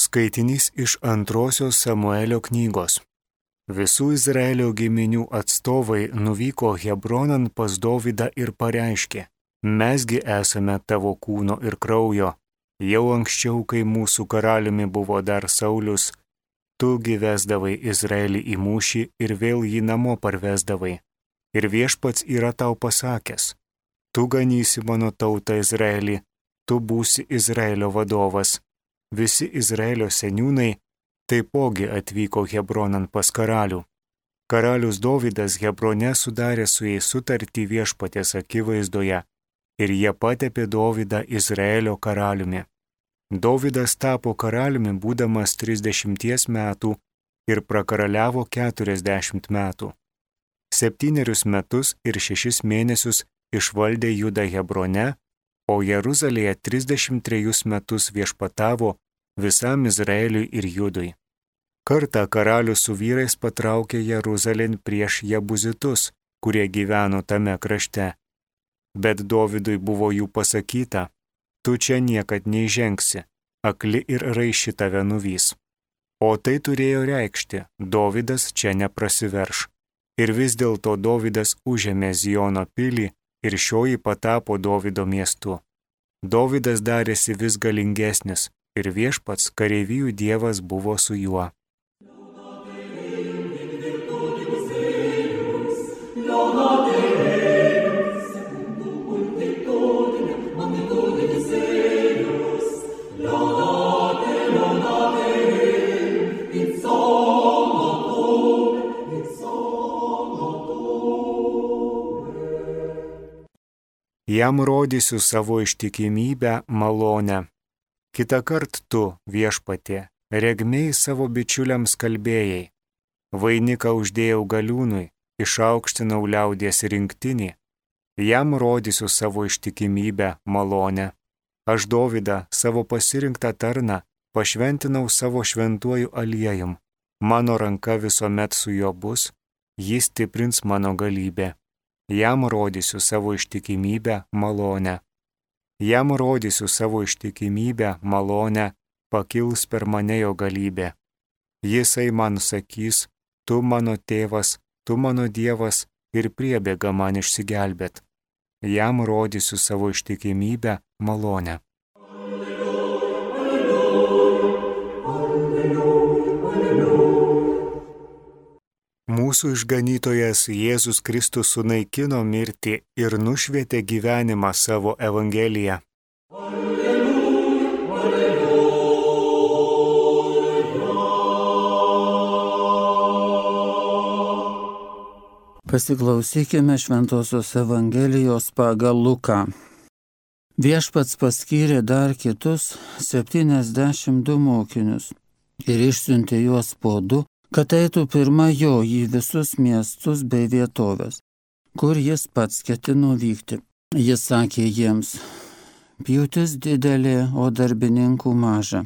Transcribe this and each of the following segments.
Skaitinys iš 2 Samuelio knygos. Visų Izraelio giminių atstovai nuvyko Hebronan pas Dovydą ir pareiškė: Mesgi esame tavo kūno ir kraujo. Jau anksčiau, kai mūsų karaliumi buvo dar Saulius, tugi vesdavai Izraelį į mūšį ir vėl jį namo parvesdavai. Ir Viešpats yra tau pasakęs: tu ganysi mano tautą Izraelį, tu būsi Izraelio vadovas. Visi Izraelio seniūnai taipogi atvyko Hebronan pas karalių. Karalius Dovydas Hebrone sudarė su jais sutartį Viešpaties akivaizdoje ir jie patepė Dovydą Izraelio karaliumi. Dovydas tapo karaliumi būdamas 30 metų ir prakaraliavo 40 metų. 7 metus ir 6 mėnesius išvaldė Judą Hebrone, o Jeruzalėje 33 metus viešpatavo visam Izraeliui ir Judui. Kartą karalius su vyrais patraukė Jeruzalėn prieš Jebuzitus, kurie gyveno tame krašte. Bet Dovydui buvo jų pasakyta: tu čia niekad neįžengsi, akli ir raiši tave nuvys. O tai turėjo reikšti: Dovydas čia neprasiverš. Ir vis dėlto Dovydas užėmė Ziono pilį ir šioji patapo Dovydo miestu. Dovydas darėsi vis galingesnis ir Viešpats kareivijų Dievas buvo su juo. Jam rodysiu savo ištikimybę malonę. Kitąkart tu, Viešpatie, regmiai savo bičiuliams kalbėjai. Vainiką uždėjau galiūnui, išaukštinau liaudies rinktinį. Jam rodysiu savo ištikimybę malonę. Aš Dovydą, savo pasirinktą tarną, pašventinau savo šventuoju aliejum. Mano ranka visuomet su juo bus, jis stiprins mano galybę. Jam rodysiu savo ištikimybę malonę. Jam rodysiu savo ištikimybę malonę, pakils per mane jo galybė. Jisai man sakys: tu mano tėvas, tu mano Dievas, ir priebėga man išsigelbėt. Jam rodysiu savo ištikimybę malonę. Mūsų išganytojas Jėzus Kristus sunaikino mirtį ir nušvietė gyvenimą savo Evangeliją. Pasiklausykime Šventosios Evangelijos pagal Luką. Viešpats paskyrė dar kitus 72 mokinius ir išsiuntė juos po 2, kad eitų pirma jo į visus miestus bei vietovės, kur jis pats ketino vykti. Jis sakė jiems: pjūtis didelė, o darbininkų maža.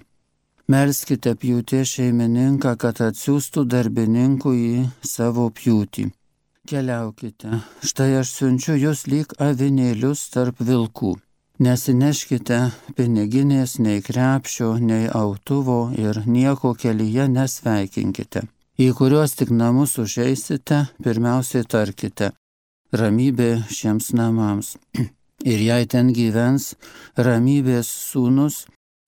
Melskite pjūties šeimininką, kad atsiųstų darbininkų į savo pjūtį. Keliaukite, štai aš siunčiu jūs lyg avinėlius tarp vilkų. Nesineškite piniginės, nei krepšio, nei autuvo ir nieko kelyje nesveikinkite. Į kuriuos tik namus užeisite, pirmiausiai tarkite: ramybė šiems namams. Ir jei ten gyvens ramybės sūnus,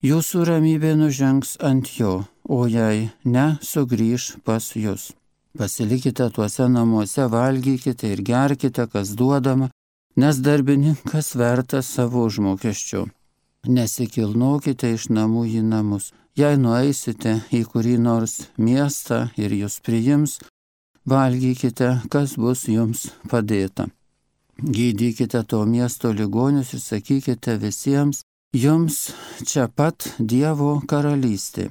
jūsų ramybė nužengs ant jo, o jei ne, sugrįš pas jūs. Pasilikite tuose namuose, valgykite ir gerkite, kas duodama, nes darbininkas vertas savo užmokesčio. Nesikilnokite iš namų į namus. Jei nueisite į kurį nors miestą ir jūs priims, valgykite, kas bus jums padėta. Gydykite to miesto ligonius ir sakykite visiems: jums čia pat Dievo karalystė.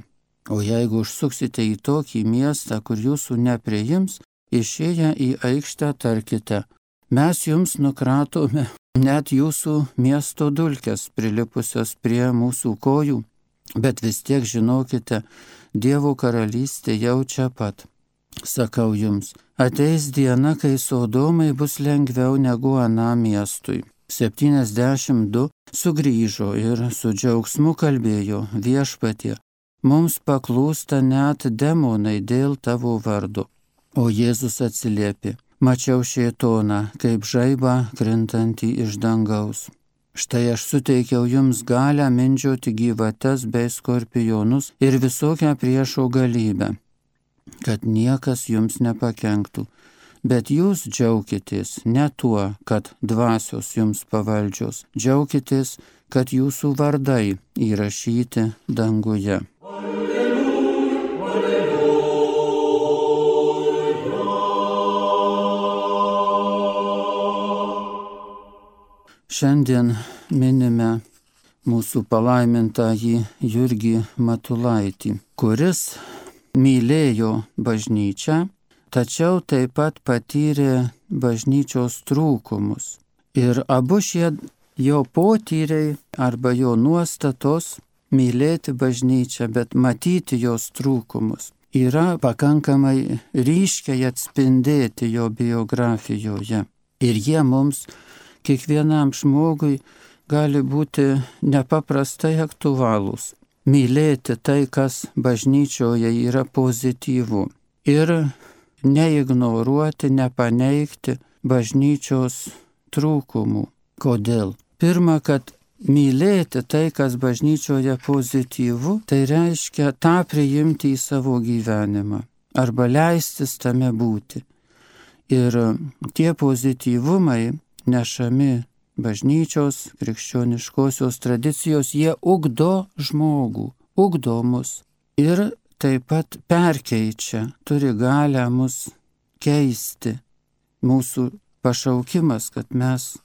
O jeigu užsuksite į tokį miestą, kur jūsų nepriims, išėję į aikštę tarkite: mes jums nukratome net jūsų miesto dulkes prilipusios prie mūsų kojų, bet vis tiek žinokite, Dievo karalystė jau čia pat. Sakau jums, ateis diena, kai Sodomai bus lengviau negu anam miestui. 72 sugrįžo ir su džiaugsmu kalbėjo: Viešpatie, mums paklūsta net demonai dėl tavo vardo. O Jėzus atsiliepė, mačiau šėtoną, kaip žaibą krintantį iš dangaus. Štai aš suteikiau jums galią mindžioti gyvates bei skorpionus ir visokią priešo galybę, kad niekas jums nepakenktų. Bet jūs džiaukitės ne tuo, kad dvasios jums pavaldžios, džiaukitės, kad jūsų vardai įrašyti danguje. Šiandien minime mūsų palaimintąjį Jurgį Matulaitį, kuris mylėjo bažnyčią, tačiau taip pat patyrė bažnyčios trūkumus. Ir abu šie jo potyriai arba jo nuostatos mylėti bažnyčią, bet matyti jos trūkumus yra pakankamai ryškiai atspindėti jo biografijoje. Ir jie mums, kiekvienam žmogui, gali būti nepaprastai aktualūs. Mylėti tai, kas bažnyčioje yra pozityvu. Ir neignoruoti, nepaneigti bažnyčios trūkumų. Kodėl? Pirma, kad mylėti tai, kas bažnyčioje pozityvu, tai reiškia tą priimti į savo gyvenimą arba leistis tame būti. Ir tie pozityvumai nešami bažnyčios, krikščioniškosios tradicijos, jie ugdo žmogų, ugdo mus ir taip pat perkeičia, turi galią mus keisti. Mūsų pašaukimas, kad mes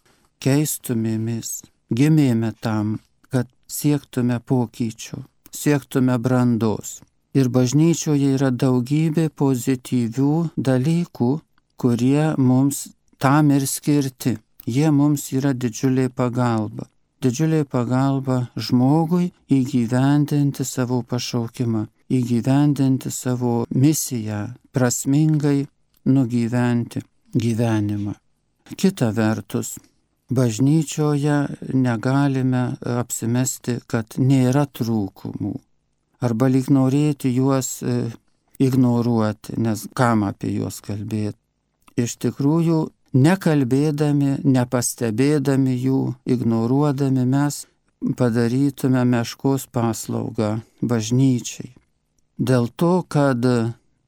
keistumėmės, gimėme tam, kad siektume pokyčių, siektume brandos. Ir bažnyčioje yra daugybė pozityvių dalykų, kurie mums tam ir skirti. Jie mums yra didžiulė pagalba. Didžiulė pagalba žmogui įgyvendinti savo pašaukimą, įgyvendinti savo misiją, prasmingai nugyventi gyvenimą. Kita vertus, bažnyčioje negalime apsimesti, kad nėra trūkumų, arba lyg norėti juos ignoruoti, nes kam apie juos kalbėti. Iš tikrųjų, nekalbėdami, nepastebėdami jų, ignoruodami, mes padarytume meškos paslaugą bažnyčiai. Dėl to, kad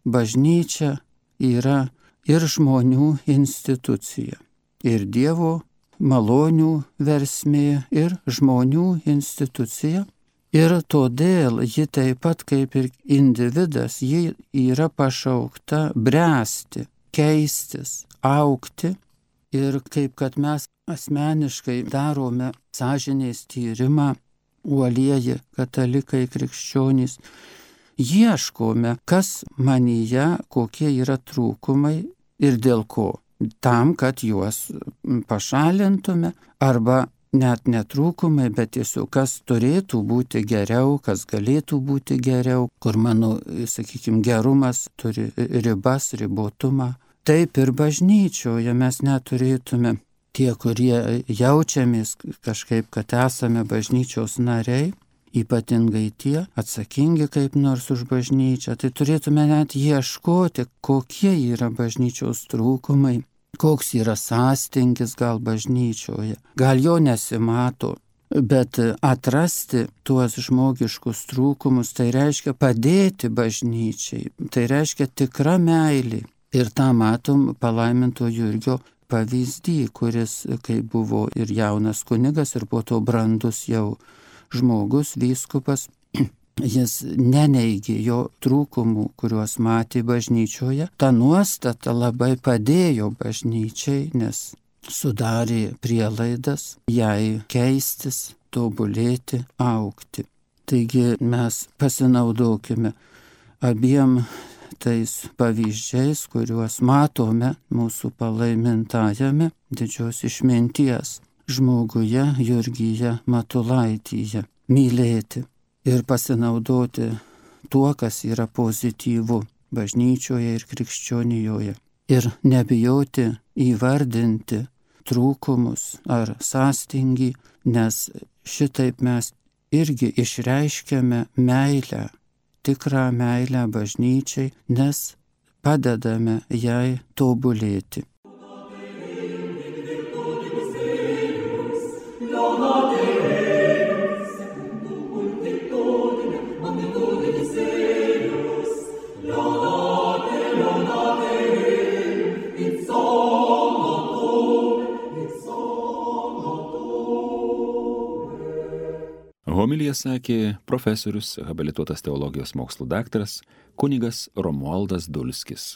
bažnyčia yra ir žmonių institucija, ir Dievo malonių versmė, ir žmonių institucija. Ir todėl ji taip pat kaip ir individas, ji yra pašaukta bręsti, keistis, augti. Ir kaip kad mes asmeniškai darome sąžinės tyrimą, uolieji katalikai, krikščionys, ieškome, kas manyje, kokie yra trūkumai ir dėl ko. Tam, kad juos pašalintume, arba net netrūkumai, bet tiesiog kas turėtų būti geriau, kas galėtų būti geriau, kur mano, sakykime, gerumas turi ribas, ribotumą. Taip ir bažnyčioje mes neturėtume, tie, kurie jaučiamės kažkaip, kad esame bažnyčios nariai, ypatingai tie atsakingi kaip nors už bažnyčią, tai turėtume net ieškoti, kokie yra bažnyčios trūkumai, koks yra sąstingis gal bažnyčioje. Gal jo nesimato, bet atrasti tuos žmogiškus trūkumus, tai reiškia padėti bažnyčiai, tai reiškia tikra meilė. Ir tą matom palaiminto Jurgio pavyzdį, kuris, kai buvo ir jaunas kunigas, ir po to brandus jau žmogus, vyskupas, jis neneigė jo trūkumų, kuriuos matė bažnyčioje. Ta nuostata labai padėjo bažnyčiai, nes sudarė prielaidas jai keistis, tobulėti, augti. Taigi mes pasinaudokime abiem tais pavyzdžiais, kuriuos matome mūsų palaimintajame didžios išminties žmoguje Jurgyje Matulaityje. Mylėti ir pasinaudoti tuo, kas yra pozityvu bažnyčioje ir krikščionijoje. Ir nebijoti įvardinti trūkumus ar sąstingį, nes šitaip mes irgi išreiškiame meilę tikrą meilę bažnyčiai, nes padedame jai tobulėti. Homiliją sakė profesorius, habilituotas teologijos mokslų daktaras, kunigas Romualdas Dulskis.